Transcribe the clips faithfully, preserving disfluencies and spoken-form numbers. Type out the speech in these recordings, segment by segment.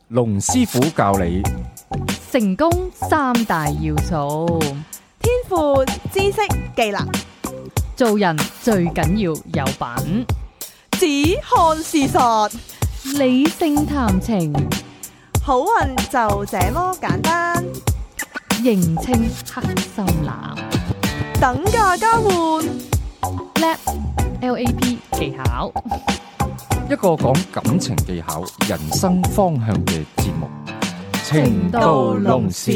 龍師傅教你成功三大要素：天賦、知識、技能。做人最緊要有品，只看事實，理性談情，好運就這麼簡單。認清黑心男，等價交換，叻 L A P 技巧，一個講感情技巧、人生方向嘅節目《情到濃時》。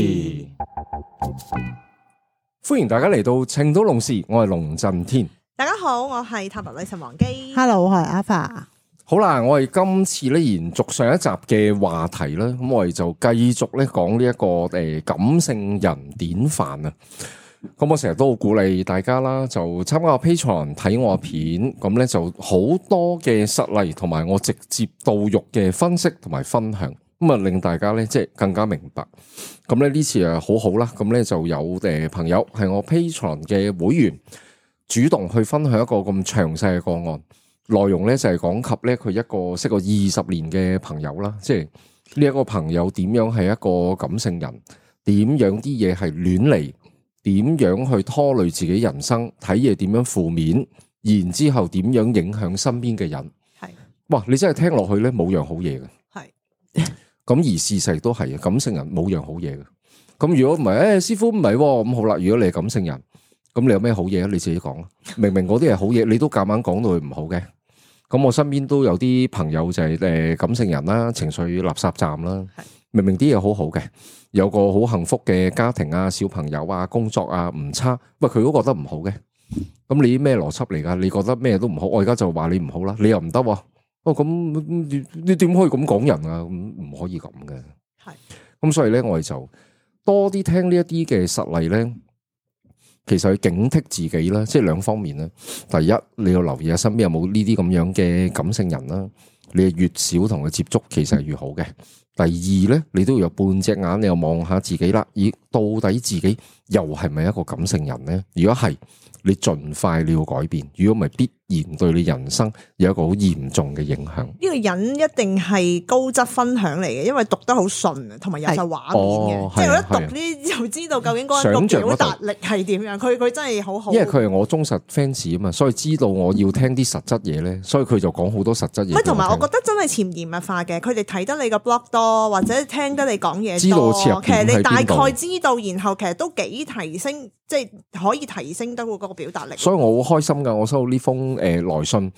歡迎大家嚟到《情到濃時》，我係龍震天。大家好，我係塔羅女神王姬。Hello，我係阿發。好啦，我哋今次咧延續上一集嘅話題啦，咁我哋就繼續咧講呢一個誒感性人典範啊。咁我成日都好鼓勵大家啦，就參加我 Patreon 睇我片，咁咧就好多嘅實例同埋我直接到肉嘅分析同埋分享，咁啊令大家咧即係更加明白。咁咧呢次啊好好啦，咁咧就有誒朋友係我 Patreon 嘅會員，主動去分享一個咁詳細嘅個案，內容咧就係講及咧佢一個識過二十年嘅朋友啦，即係呢一個朋友點樣係一個感性人，點樣啲嘢係亂嚟。點樣去拖累自己人生，睇嘢點樣負面，然之後點樣影響身邊嘅人。係，哇！你真係聽落去咧，冇樣好嘢嘅。係，咁而事實都係啊，感性人冇樣好嘢嘅。咁如果唔係，誒、哎，師傅唔係，咁好啦。如果你係感性人，咁你有咩好嘢啊？你自己講啦。明明嗰啲係好嘢，你都夾硬講到佢唔好嘅。咁我身邊都有啲朋友就係誒感性人啦，情緒垃圾站啦。明明啲嘢好好嘅，有個好幸福嘅家庭啊、小朋友啊、工作啊唔差，喂佢都覺得唔好嘅，咁你咩邏輯嚟噶？你覺得咩都唔好，我而家就話你唔好啦，你又唔得，哦咁你你點可以咁講人啊？咁唔可以咁嘅，係，咁所以咧我哋就多啲聽呢一啲嘅實例咧，其實去警惕自己啦，即係兩方面啦。第一，你要留意下身邊有冇呢啲咁樣嘅感性人啦，你越少同佢接觸，其實係越好嘅。第二咧，你都要有半隻眼，你又望下自己啦。咦，到底自己又係咪一個感性人咧？如果係，你盡快你要改變。如果唔係，必然對你人生有一個好嚴重嘅影響。呢個人一定係高質分享嚟嘅，因為讀得好順啊，同埋有晒畫面嘅。即係我一讀呢，就知道究竟嗰個表達力係點樣。佢佢真係好好。因為佢係我忠實 fans 啊嘛，所以知道我要聽啲實質嘢咧，所以佢就講好多實質嘢。同埋我覺得真係潛移默化嘅，佢哋睇得你個 blog 多，或者聽得你講嘢多，知道其實你大概知道，然後其實都幾提升，即係可以提升得嗰個表達力。所以我好開心噶，我收到呢封誒來信，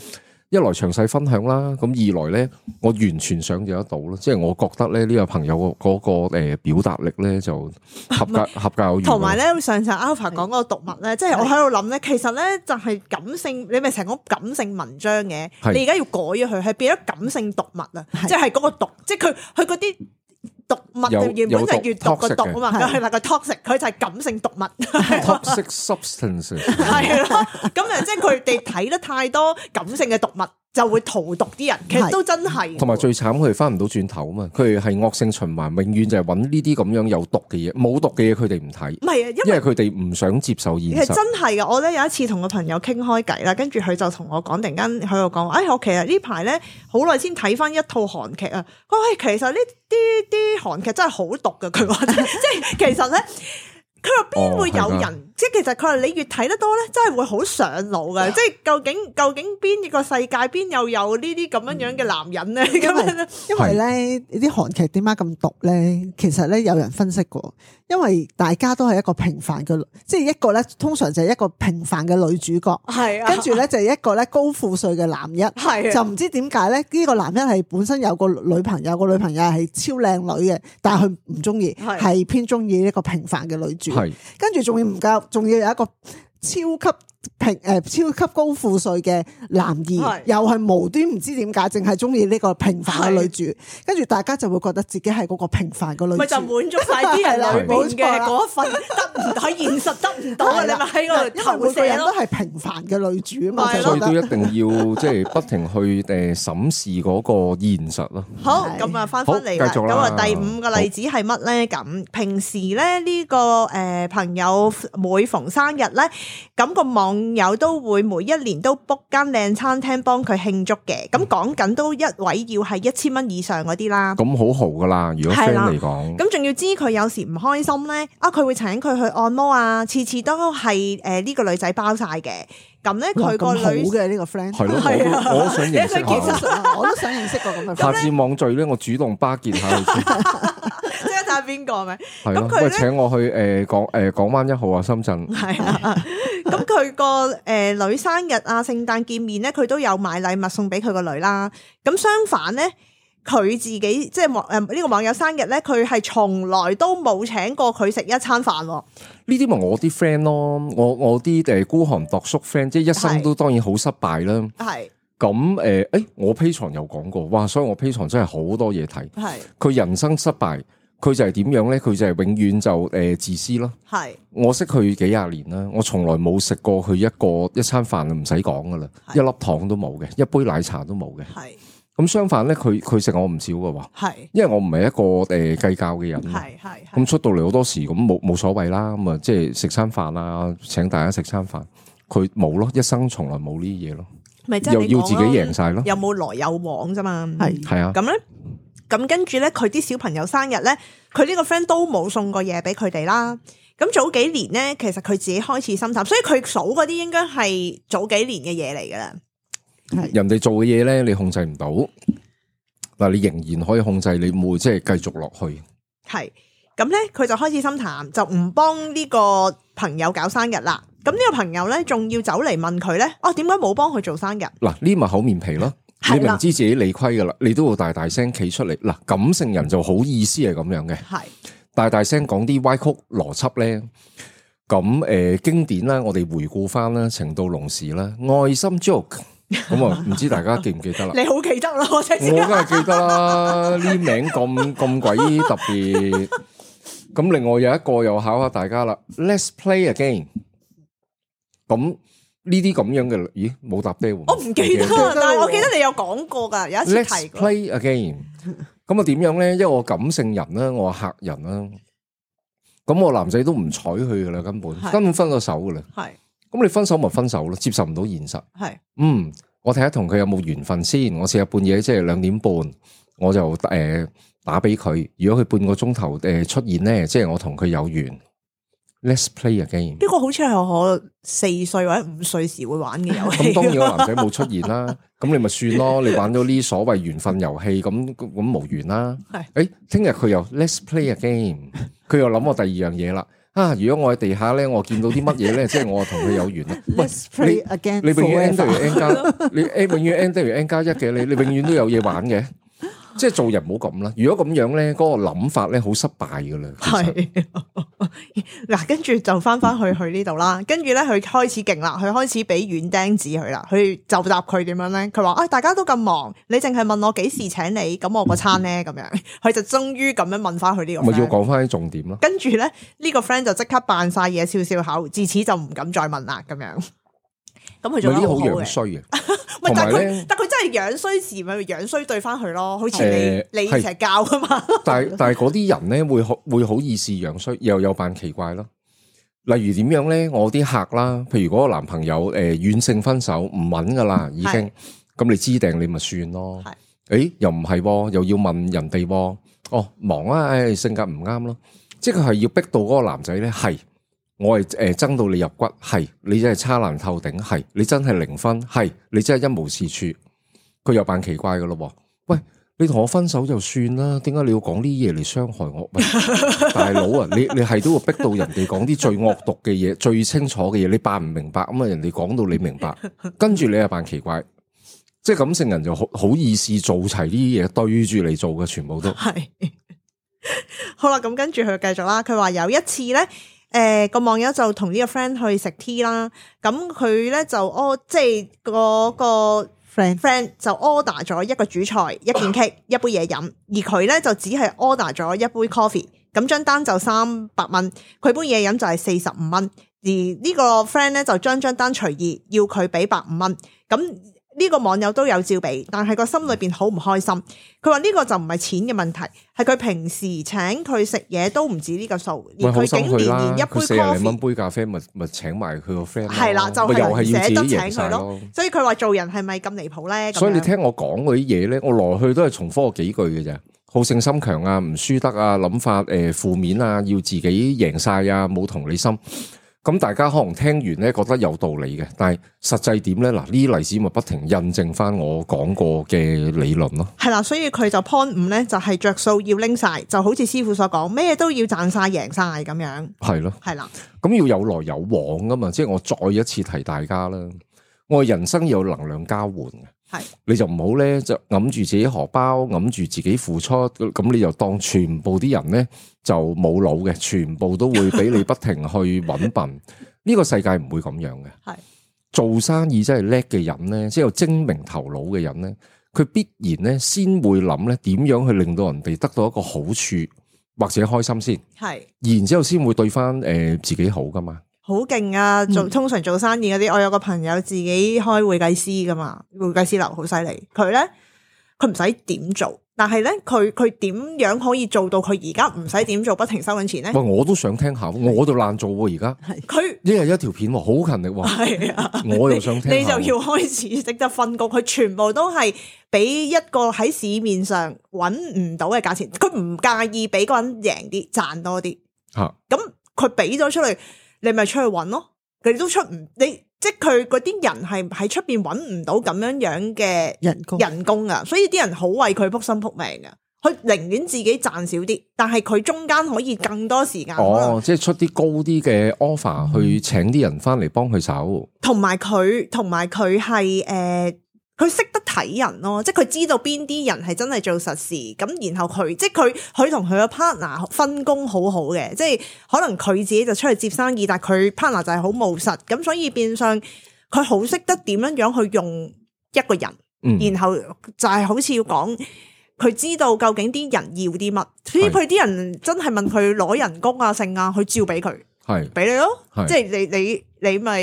一來詳細分享啦，咁二來咧，我完全想象得到咯，即係我覺得咧呢個朋友嗰個誒表達力咧就合格合格有餘。同埋咧，上次 Alpha 講嗰個讀物咧，即係我喺度諗咧，其實咧就係感性，你咪成日講感性文章嘅，你而家要改咗佢，係變咗感性讀物啊，即係嗰個讀，即係佢佢嗰啲。讀物原本就係閱讀個讀啊嘛，係啦個 toxic， 佢就係感性讀物 ，toxic substance 係咯，咁啊即係佢哋睇得太多感性嘅讀物，就會荼毒啲人，其實都真係。同埋最慘，佢哋翻唔到轉頭啊嘛，佢哋係惡性循環，永遠就係揾呢啲咁樣有毒嘅嘢，冇毒嘅嘢佢哋唔睇。唔係啊，因為佢哋唔想接受現實。其實真係噶，我咧有一次同個朋友傾開偈啦，跟住佢就同我講，突然間喺度講話，哎，我其實呢排咧好耐先睇翻一套韓劇啊，喂，其實呢啲啲韓劇真係好毒噶，佢話即係其實咧。佢話邊會有人？哦、即係其實佢話你越睇得多咧，真係會好上腦嘅。即係究竟究竟邊一個世界邊又有呢啲咁樣樣嘅男人咧？咁樣咧，因為咧啲韓劇點解咁毒咧？其實咧有人分析過，因為大家都係一個平凡嘅，即係一個咧通常就係一個平凡嘅女主角，係啊，跟住咧就係一個咧高富帥嘅男一，係、啊、就唔知點解咧呢個男一係本身有個女朋友，個女朋友係超靚女嘅，但係佢唔中意，係偏中意一個平凡嘅女主。係，跟住仲要唔夠，仲要有一個超級平誒、呃、超級高富帥嘅男二，又係無端唔知點解，淨係中意呢個平凡嘅女主，跟住大家就會覺得自己係嗰個平凡嘅女主，咪就滿足晒啲人裏面嘅嗰一份得唔喺現實得唔到啊！你咪喺嗰度投射咯，人都係平凡嘅女主啊嘛，所以都一定要即係不停去誒審視嗰個現實咯。好，咁啊翻返嚟啦，咁啊第五個例子係乜咧？咁平時咧呢個誒朋友每逢生日咧，咁個網網友都會每一年都 book 間靚餐廳幫佢慶祝嘅。咁講緊都一位要係一千蚊以上嗰啲啦。咁好豪噶啦，如果 friend 嚟講。咁仲要知佢有時唔開心咧，啊佢會請佢去按摩啊，次次都係誒呢個女仔包晒嘅。咁咧佢個女好嘅呢個 friend 係咯，我我都想認識下，我都想認識個咁嘅 friend。下次網聚咧，我主動巴結下佢先。即係睇下邊個咪？係咯，佢請我去誒港誒港灣一號啊，深圳。係啊，咁佢個誒女生日啊、聖誕見面咧，佢都有買禮物送俾佢個女啦。咁相反咧，佢自己即係網誒呢個網友生日咧，佢係從來都冇請過佢食一餐飯。呢啲咪我啲 friend 咯，我我啲誒孤寒度叔 friend，即係一生都當然好失敗啦。係咁誒，誒我 Patreon 有講過，哇！所以我 Patreon真係好多嘢睇。係佢人生失敗，佢就係點樣咧？佢就係永遠就誒自私咯。係我識佢幾廿年啦，我從來冇食過佢一個一餐飯唔使講噶啦，一粒糖都冇嘅，一杯奶茶都冇嘅。係。咁相反咧，佢佢食我唔少嘅喎，係，因為我唔係一個誒計較嘅人，係係，咁出到嚟好多時咁冇冇所謂啦，咁啊即係食餐飯啊，請大家食餐飯，佢冇咯，一生從來冇呢啲嘢咯，咪又要自己贏晒咯，有冇來有往啫嘛，係係啊，咁咧，咁跟住咧，佢啲小朋友生日咧，佢呢個 friend 都冇送過嘢俾佢哋啦，咁早幾年咧，其實佢自己開始心淡，所以佢數嗰啲應該係早幾年嘅嘢嚟噶啦。人哋做嘅嘢咧，你控制唔到，嗱你仍然可以控制，你會即係繼續落去。係咁咧，佢就開始心淡，就唔幫呢個朋友搞生日啦。咁呢個朋友咧，仲要走嚟問佢咧，哦，點解冇幫佢做生日？嗱，呢咪厚面皮咯。你明知自己理虧噶啦，你都會大大聲企出嚟。嗱，感性人就好意思係咁樣嘅，係大大聲講啲歪曲邏輯咧。咁誒、呃，經典啦，我哋回顧翻啦，情到濃時啦，愛心 joke。咁啊，唔知大家記唔記得啦？你好記得啦，我真係我梗係記得啦，呢名咁咁鬼特別。咁另外有一個又考下大家啦 ，Let's play again。咁呢啲咁樣嘅，咦冇答爹喎？我唔記得，但係我記得你有講過噶，有一次提過。Let's play again。咁啊點樣咧？因為我感性人啦，我客人啦，咁我男仔都唔睬佢噶啦，根本根本分咗手噶啦。係。咁你分手咪分手咯，接受唔到現實。係，嗯，我睇下同佢有冇緣分先。我試下半夜即係兩點半，我就誒、呃、打俾佢。如果佢半個鐘頭誒出現咧，即係我同佢有緣。Let's play again。呢個好似係我四歲或者五歲時會玩嘅遊戲。咁當然個男仔冇出現啦，咁你咪算咯。你玩咗呢所謂緣分遊戲，咁咁無緣啦。係，誒，聽日佢又 Let's play again，佢又諗我第二樣嘢啦。啊！如果我喺地下咧，我見到啲乜嘢咧，即係我同佢有緣啦。Let's play again，你永遠 n 等於 n 加，你 n 永遠 n 等於 n 加一嘅，你你永遠都有嘢玩嘅。即係做人唔好咁啦。如果咁樣咧，嗰個諗法咧好失敗噶啦。係嗱，跟住就翻翻去去呢度啦。跟住咧，佢開始勁啦，佢開始俾軟釘子佢啦。佢就答佢點樣咧？佢話：，哎，大家都咁忙，你淨係問我幾時請你，咁我個餐咧咁樣。佢就終於咁樣問翻佢呢個 friend。咪要講翻啲重點咯。跟住咧，呢個 friend 就即刻扮晒嘢，笑笑口，自此就唔敢再問啦。咁樣。咁佢做得好好嘅。衰嘅。但係佢，但佢真係樣衰時咪樣衰對翻佢咯，好似你、呃、你成日教噶嘛。但係但係嗰啲人咧會好會好意思樣衰，又有扮奇怪咯。例如點樣咧？我啲客啦，譬如嗰個男朋友誒軟性分手唔穩噶啦，已經咁你知定你咪算咯。係，誒又唔係，又要問人哋，哦忙啊，誒性格唔啱咯，即係佢係要逼到嗰個男仔咧係。我係誒憎到你入骨，係你真係差爛透頂，係你真係零分，係你真係一無是處。佢又扮奇怪噶咯，喂，你同我分手就算啦，點解你要講啲嘢嚟傷害我？喂，大佬啊，你你係都會逼到人哋講啲最惡毒嘅嘢、最清楚嘅嘢，你扮唔明白咁啊？人哋講到你明白，跟住你又扮奇怪，即係感性人就好好意思做齊呢啲嘢對住你做嘅，全部都係。好啦，咁跟住佢繼續啦。佢話有一次咧。誒，個、呃、網友就同呢個 friend 去食 tea 啦，咁佢咧就哦，即係嗰個 friend friend 就 order 咗一個主菜、一件 cake、一杯嘢飲，而佢咧就只係 order 咗一杯 coffee，咁張單就三百蚊，佢杯嘢飲就係四十五蚊，而呢個 friend 咧就將張單隨意要佢俾百五蚊，咁呢個網友都有照俾，但係個心裏邊好唔開心。佢話呢個就唔係錢嘅問題，係佢平時請佢食嘢都唔止呢個數，而佢竟然連一杯四廿零蚊杯咖啡，咪咪請埋佢個 friend。係啦，就係唔捨得請佢咯。所以佢話做人係咪咁離譜咧？所以你聽我講嗰啲嘢咧，我來去都係重複嗰幾句嘅啫。好勝心強啊，唔輸得啊，諗法誒負面啊，要自己贏晒啊，冇同理心。咁大家可能聽完咧覺得有道理嘅，但係實際點咧？嗱，呢啲例子咪不停印證翻我講過嘅理論咯。係啦，所以佢就 point 五咧，就係着數要拎晒，就好似師傅所講，咩都要賺晒贏晒咁樣。係咯，係啦，咁要有來有往噶嘛，即係我再一次提大家啦，我人生有能量交換嘅。係，你就唔好咧，就揞住自己荷包，揞住自己付出，咁你就當全部啲人咧就冇腦嘅，全部都會俾你不停去搵笨。呢個世界唔會咁樣嘅。係做生意真係叻嘅人咧，即係有精明頭腦嘅人咧，佢必然咧先會諗咧點樣去令到人哋得到一個好處或者開心先。係，然之後先會對翻誒自己好噶嘛。好勁啊！做通常做生意嗰啲，我有個朋友自己開會計師噶嘛，會計師樓好犀利。佢咧佢唔使點做，但係咧佢佢點樣可以做到佢而家唔使點做，不停收緊錢咧？喂，我都想聽下，我就爛做喎而家。係佢一日一條片，好勤力喎。係啊，我又想聽。你就要開始識得分工，佢全部都係俾一個喺市面上揾唔到嘅價錢，佢唔介意俾個人贏啲賺多啲。吓、啊，咁佢俾咗出嚟。你咪出去揾咯，佢哋都出唔你，即係佢嗰啲人係喺出邊揾唔到咁樣樣嘅人工人工啊，所以啲人好為佢撲心撲命噶，佢寧願自己賺少啲，但係佢中間可以更多時間。哦，即係出啲高啲嘅 offer 去請啲人翻嚟幫佢手，同埋佢，同埋佢係誒。佢識得睇人咯，即係佢知道邊啲人係真係做實事，咁然後佢即係佢佢同佢嘅 partner 分工好好嘅，即係可能佢自己就出去接生意，但係佢 partner 就係好務實，咁所以變相佢好識得點樣樣去用一個人，嗯、然後就係好似要講佢知道究竟啲人要啲乜，所以佢啲人真係問佢攞人工啊剩啊，佢照俾佢。係俾你咯，即係你你你咪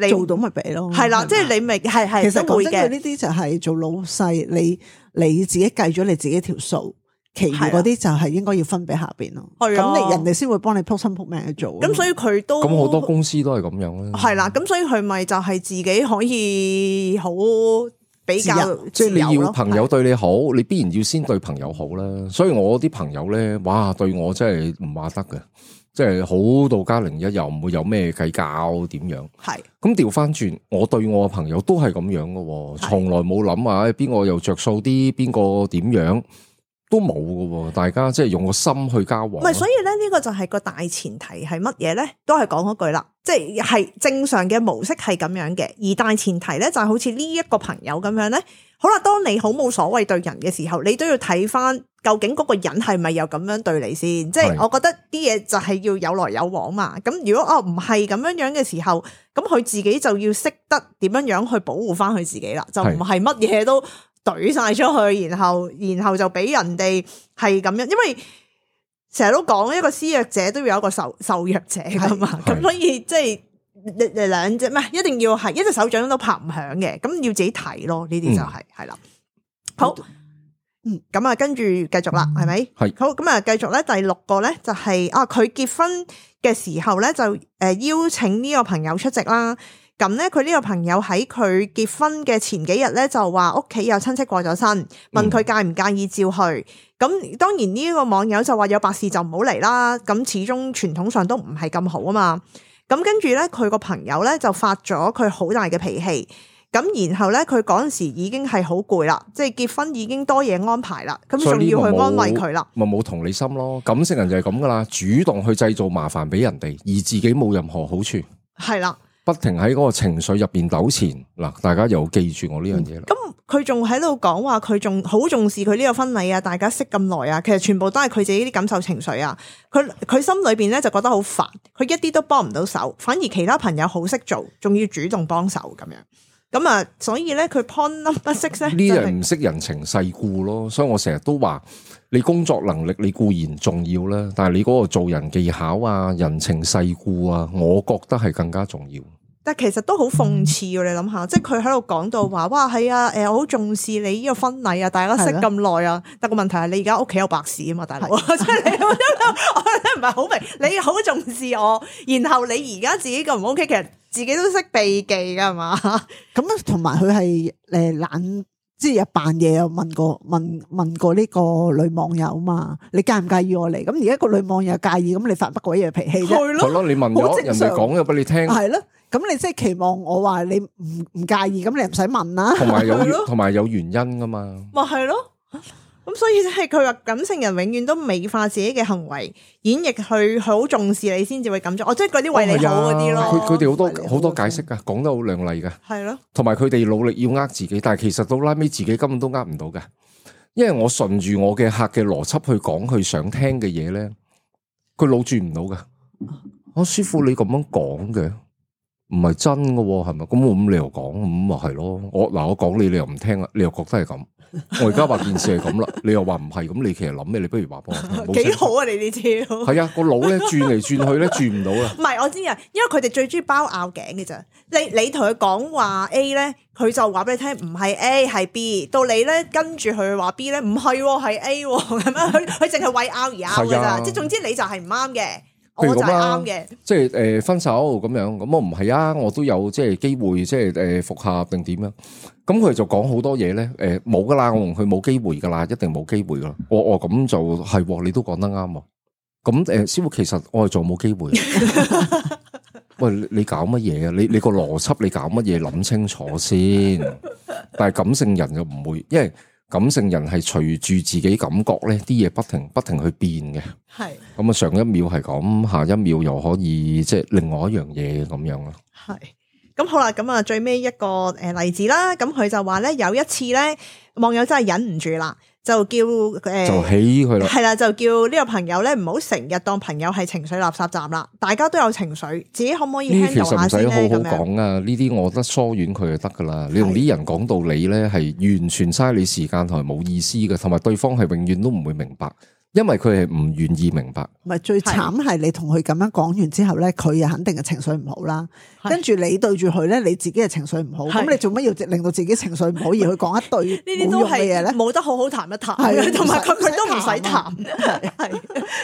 你做到咪俾咯，係啦，即係你咪係係。其實講真，佢呢啲就係做老細，你你自己計咗你自己條數，其餘嗰啲就係應該要分俾下邊咯。係啊，咁你人哋先會幫你撲心撲命去做。咁所以佢都咁好多公司都係咁樣啦。係啦，咁所以佢咪就係自己可以好比較，即係你要朋友對你好，你必然要先對朋友好啦。所以我啲朋友咧，哇，對我真係唔話得嘅。即係好到家零一，又唔會有咩計較點樣？係咁調翻轉，我對我嘅朋友都係咁樣嘅，從來冇諗啊，邊個又着數啲，邊個點樣都冇嘅，大家即係用個心去交往。唔係，所以咧呢個就係個大前提係乜嘢咧？都係講嗰句啦，即係係正常嘅模式係咁樣嘅，而大前提咧就係好似呢一個朋友咁樣咧。好啦，當你好冇所謂對人嘅時候，你都要睇翻究竟嗰個人係咪又咁樣對你先？即係我覺得啲嘢就係要有來有往嘛。咁如果哦唔係咁樣樣嘅時候，咁佢自己就要識得點樣樣去保護翻佢自己啦，就唔係乜嘢都懟晒出去，然後然後就俾人哋係咁樣，因為成日都講一個施虐者都要有一個受受虐者噶嘛。咁所以即係。兩隻咩？一定要係一隻手掌都拍唔響嘅，咁要自己睇咯。呢啲就係係啦。好，嗯，咁啊，跟住繼續啦，係咪？係。好，咁啊，繼續咧，第六個咧就係、是、啊，佢結婚嘅時候咧就誒邀請呢個朋友出席啦。咁咧，佢呢個朋友喺佢結婚嘅前幾日咧就話屋企有親戚過咗身，問佢介唔介意照去。咁、嗯、當然呢個網友就話有白事就唔好嚟啦。咁始終傳統上都唔係咁好啊嘛。咁跟住咧，佢個朋友咧就發咗佢好大嘅脾氣。咁然後咧，佢嗰陣時已經係好攰啦，即係結婚已經多嘢安排啦。咁仲要去安慰佢啦，咪冇同理心咯。感性人就係咁噶啦，主動去製造麻煩俾人哋，而自己冇任何好處。係啦。不停喺嗰個情緒入邊糾纏嗱，大家又記住我呢樣嘢啦。咁佢仲喺度講話，佢仲好重視佢呢個婚禮啊，大家識咁耐啊，其實全部都係佢自己啲感受情緒啊。佢佢心裏邊咧就覺得好煩，佢一啲都幫唔到手，反而其他朋友好識做，仲要主動幫手咁樣。咁啊，所以咧佢 point number six 咧，呢人唔識人情世故咯。所以我成日都話，你工作能力你固然重要啦，但係你嗰個做人技巧啊、人情世故啊，我覺得係更加重要。但其實都好諷刺喎，你諗下，即係佢喺度講到話，哇係啊，誒我好重視你呢個婚禮啊，大家識咁耐啊，但個問題係你而家屋企有白事啊嘛，大佬，即係你我真係唔係好明，你好重視我，然後你而家自己咁唔 OK，其實自己都識避忌噶嘛。咁同埋佢係誒懶，即係又扮嘢又問過問問過呢個女網友嘛，你介唔介意我嚟？咁而家個女網友介意，咁你發乜鬼嘢脾氣啫？係咯，你問咗人哋講咗俾你聽，係咯。咁你即係期望我話你唔唔介意，咁你唔使問啦。同埋有同埋有原因噶嘛。咪係咯，咁所以即係佢話感性人永遠都美化自己嘅行為，演繹佢好重視你先至會咁做。哦，即係嗰啲為你好嗰啲咯。佢佢哋好多好多解釋噶，講得好亮麗噶。係咯，同埋佢哋努力要呃自己，但係其實到拉尾自己根本都呃唔到噶。因為我順住我嘅客嘅邏輯去講佢想聽嘅嘢咧，佢腦轉唔到噶。我師傅你咁樣講嘅。唔係真嘅係咪？咁我咁你又講咁咪係咯？我嗱我講你，你又唔聽啦，你又覺得係咁。我而家話件事係咁啦，你又話唔係咁，你其實諗咩？你不如話幫我聽。幾好啊！你呢招係啊，個腦咧轉嚟轉去咧轉唔到啊。唔係我知啊，因為佢哋最中意包拗頸嘅咋。你你同佢講話 A 咧，佢就話俾你聽唔係 A 係 B。到你咧跟住佢話 B 咧唔係係 A 咁樣，佢佢淨係為拗而拗嘅咋。即係總之你就係唔啱嘅。譬如咁啦，即係誒分手咁樣，咁我唔係啊，我都有即係機會，即係誒復合定點樣？咁佢就講好多嘢咧，誒冇噶啦，我同佢冇機會噶啦，一定冇機會噶啦。我我咁就係，你都講得啱。咁誒，師傅其實我係仲冇機會。喂，你搞乜嘢啊？你你個邏輯你搞乜嘢？諗清楚先。但係感性人就唔會，因為感性人係隨住自己感覺咧，啲嘢不停不停去變嘅。係咁啊，上一秒係咁，下一秒又可以即係另外一樣嘢咁樣咯。係咁好啦，咁啊最尾一個誒例子啦，咁佢就話咧有一次咧，網友真係忍唔住啦，就叫誒、呃、就起佢啦，係啦，就叫呢個朋友咧唔好成日當朋友係情緒垃圾站啦，大家都有情緒，自己可唔可以 handle 下先咧？其實唔使好好講啊，呢啲我覺得疏遠佢就得噶啦。你同啲人講道理咧，係完全嘥你時間同埋冇意思嘅，同埋對方係永遠都唔會明白。因為佢係唔願意明白，唔係最慘係你同佢咁樣講完之後咧，佢又肯定係情緒唔好啦。跟住你對住佢咧，你自己係情緒唔好，咁你做乜要令到自己情緒唔好而去講一堆呢啲都係嘢咧？冇得好好談一談，同埋佢佢都唔使談，係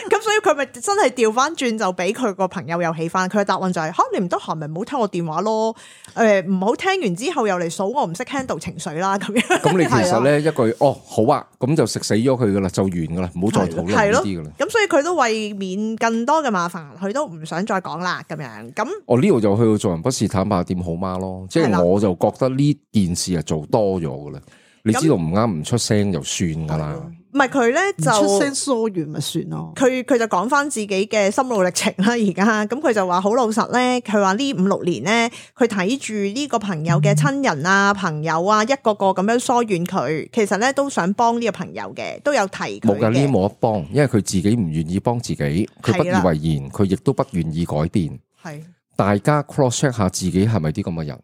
咁所以佢咪真係調翻轉就俾佢個朋友又起翻。佢嘅答案就係吓，你唔得閒咪唔好聽我電話咯。誒唔好聽完之後又嚟數我唔識 handle 情緒啦咁樣。咁你其實咧一句哦好啊，咁就食死咗佢噶啦，就完噶啦，唔好再討論呢啲噶啦。咁所以佢都為免更多嘅麻煩，佢都唔想再講啦咁樣。咁我呢度就去到做人不是坦白點好嗎咯，即係我就覺得呢件事係做多咗噶啦。你知道唔啱唔出聲就算噶啦。唔係佢咧就出聲疏遠咪算咯。佢佢就講翻自己嘅心路歷程啦。而家咁佢就話好老實咧，佢話呢五六年咧，佢睇住呢個朋友嘅親人啊、朋友啊，一個個咁樣疏遠佢，其實咧都想幫呢個朋友嘅，都有提佢嘅。冇噶，呢啲冇得幫，因為佢自己唔願意幫自己，佢不以為然，佢亦都不願意改變。係大家 cross check 下自己係咪啲咁嘅人？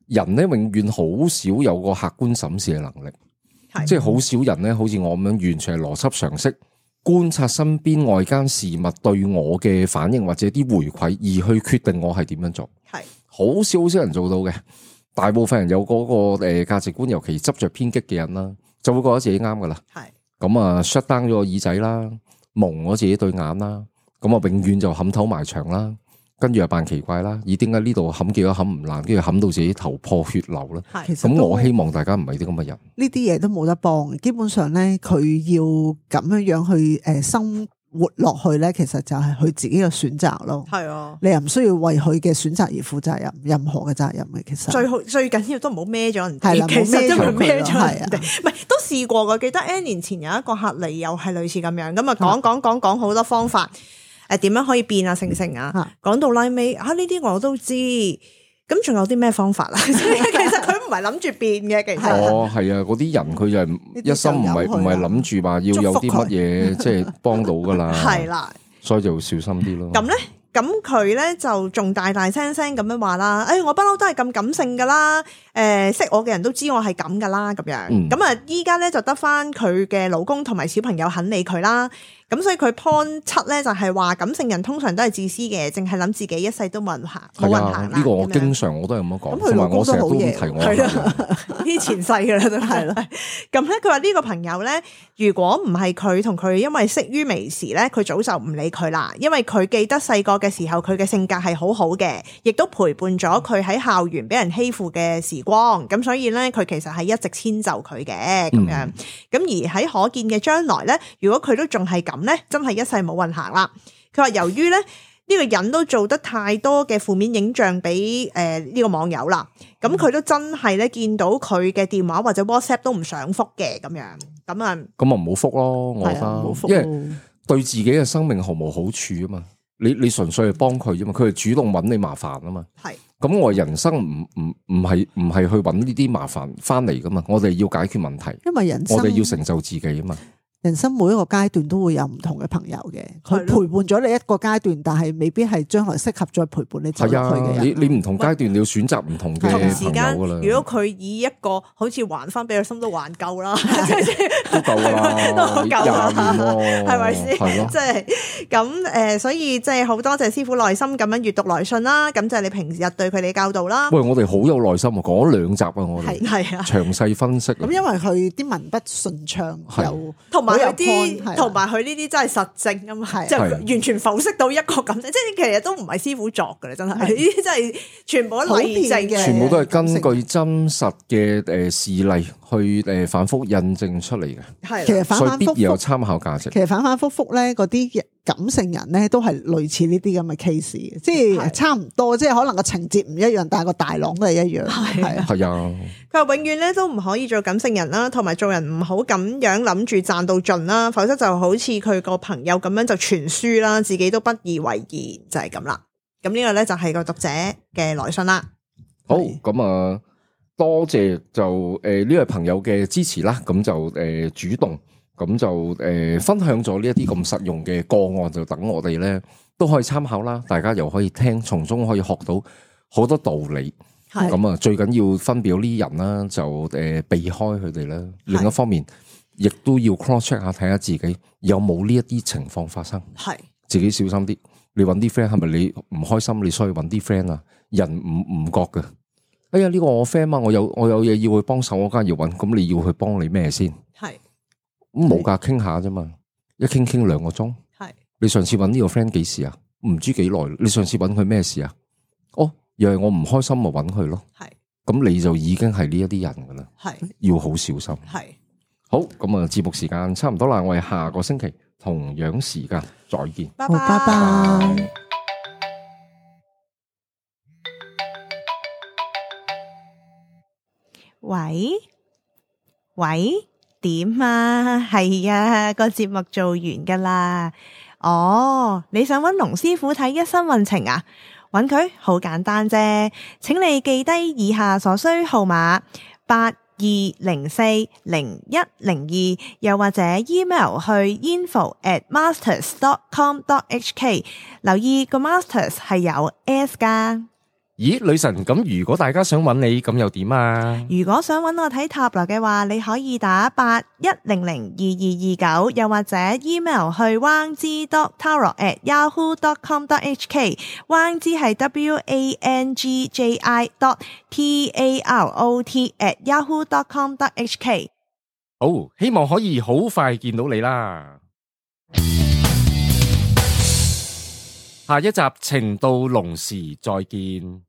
人咧永遠好少有個客觀審視嘅能力。即係好少人咧，好似我咁樣，完全係邏輯常識觀察身邊外間事物對我嘅反應或者啲回饋，而去決定我係點樣做。係好少好少人做到嘅，大部分人有嗰個誒價值觀，尤其執着偏激嘅人啦，就會覺得自己啱噶啦。係咁啊 shut down 咗個耳仔啦，蒙咗自己對眼啦，咁啊永遠就冚頭埋牆啦。跟住又扮奇怪啦，咦？點解呢度冚幾多冚唔爛，跟住冚到自己頭破血流咧？咁我希望大家唔係啲咁嘅人。呢啲嘢都冇得幫，基本上咧，佢要咁樣樣去誒生活落去咧，其實就係佢自己嘅選擇咯。係啊，你又唔需要為佢嘅選擇而負責任，任何嘅責任嘅。其實最好最緊要都唔好孭咗人哋。係啦，其實都唔孭咗人哋。唔係都試過嘅，記得 N 年前有一個客嚟，又係類似咁樣，咁啊講講講講好多方法。誒，點樣可以變啊？成成啊，講到拉尾啊，呢啲我都知。咁仲有啲咩方法啊？其實佢唔係諗住變嘅，其實哦係啊，嗰啲人佢就係一心唔係唔係諗住話要有啲乜嘢，即係幫到噶啦。係啦，所以就小心啲咯。咁咧，咁佢咧就仲大大聲聲咁樣話啦，誒、哎、我不嬲都係咁感性噶啦，誒、呃、識我嘅人都知我係咁噶啦，咁樣，咁啊依家咧就得翻佢嘅老公同埋小朋友肯理佢啦。咁所以佢 point 七咧就係話感性人通常都係自私嘅，淨係諗自己一世都冇人行，冇人行啦。呢個我經常我都係咁樣講，同埋我成日都提我係啦，呢前世嘅啦都係啦。咁咧佢話呢個朋友咧，如果唔係佢同佢因為識於微時咧，佢早就唔理佢啦。因為佢記得細個嘅時候，佢嘅性格係好好嘅，亦都陪伴咗佢喺校園俾人欺負嘅時光。咁所以咧，佢其實係一直遷就佢嘅咁樣。咁、嗯、而喺可見嘅將來咧，如果佢都仲係咁咧，真係一世冇運行啦。佢話由於咧呢個人都做得太多嘅負面影像俾誒呢個網友啦，咁佢都真係咧見到佢嘅電話或者 WhatsApp 都唔想覆嘅咁樣，咁啊咁啊唔好覆咯，我覺得，因為對自己嘅生命毫無好處啊嘛。你你純粹係幫佢啫嘛，佢係主動揾你麻煩啊嘛。係咁我人生唔唔唔係唔係去揾呢啲麻煩翻嚟噶嘛，我哋要解決問題，因為人生我哋要成就自己啊嘛。人生每一個階段都會有唔同嘅朋友嘅，佢陪伴咗你一個階段，但係未必係將來適合再陪伴你走落去嘅人。你你唔同階段你要選擇唔同嘅朋友噶啦。如果佢以一個好似還翻俾佢心都還夠啦，都夠啦，都好夠啦，係咪先？係咯，即係咁誒，所以即係好多謝師傅耐心咁樣閱讀來信啦，咁就係你平時日對佢哋教導啦。喂，我哋好有耐心啊，講咗兩集啊，我哋係啊，詳細分析。咁因為佢啲文筆順暢，有同埋有啲，同埋佢呢啲真係實證啊嘛，就完全剖析到一個咁，即係其實都唔係師傅作嘅啦，真係呢啲真係全部都例證嘅，全部都係根據真實嘅誒事例去誒反覆印證出嚟嘅。係，其實反反复复有參考價值。其實反反复复咧，嗰啲感性人咧都係類似呢啲咁嘅 case， 即係差唔多，即係可能個情節唔一樣，但係個大綱都係一樣。係啊，係啊。佢話永遠咧都唔可以做感性人啦，同埋做人唔好咁樣諗住賺到盡啦，否則就好似佢個朋友咁樣就傳輸啦，自己都不以為然，就係咁啦。咁呢個咧就係個讀者嘅來信啦。好，咁啊，多謝就誒呢位朋友嘅支持啦，咁就誒主動。咁就誒、呃、分享咗呢一啲咁實用嘅個案，就等我哋咧都可以參考啦。大家又可以聽，從中可以學到好多道理。係咁啊，最緊要分表呢啲人啦，就誒、呃、避開佢哋啦。另一方面，亦都要 cross check 下，睇下自己有冇呢一啲情況發生。係自己小心啲。你揾啲 friend 係咪你唔開心？你需要揾啲 friend 啊？人唔唔覺㗎。哎呀，呢、這個我 friend 啊，我有我有嘢要去幫手，我梗係要揾。咁你要去幫你咩先？係。咁冇噶，傾下啫嘛，一傾傾兩個鐘。係你上次揾呢個 friend 幾時啊？唔知幾耐。你上次揾佢咩事啊？哦，又係我唔開心，咪揾佢咯。係咁，你就已經係呢一啲人噶啦。係要好小心。係好咁啊！節目時間差唔多啦，我哋下個星期同樣時間再見。拜拜拜拜。喂喂。點啊？係啊，個節目做完噶啦。哦，你想揾龍師傅睇一生運程啊？揾佢好簡單啫，請你記低以下所需號碼八二零四零一零二，又或者 email 去 info at masters dot com dot h k。留意個 masters 係有 s 噶。咦，女神，咁如果大家想揾你，咁又點啊？如果想揾我睇塔羅嘅話，你可以打八一零零二二二九，又或者 email 去 wang zi dot tarot at yahoo dot com dot h k。wang zi 係 w a n g j i dot t a r o t at yahoo dot com dot h k。好，希望可以好快見到你啦。下一集情到濃時再見。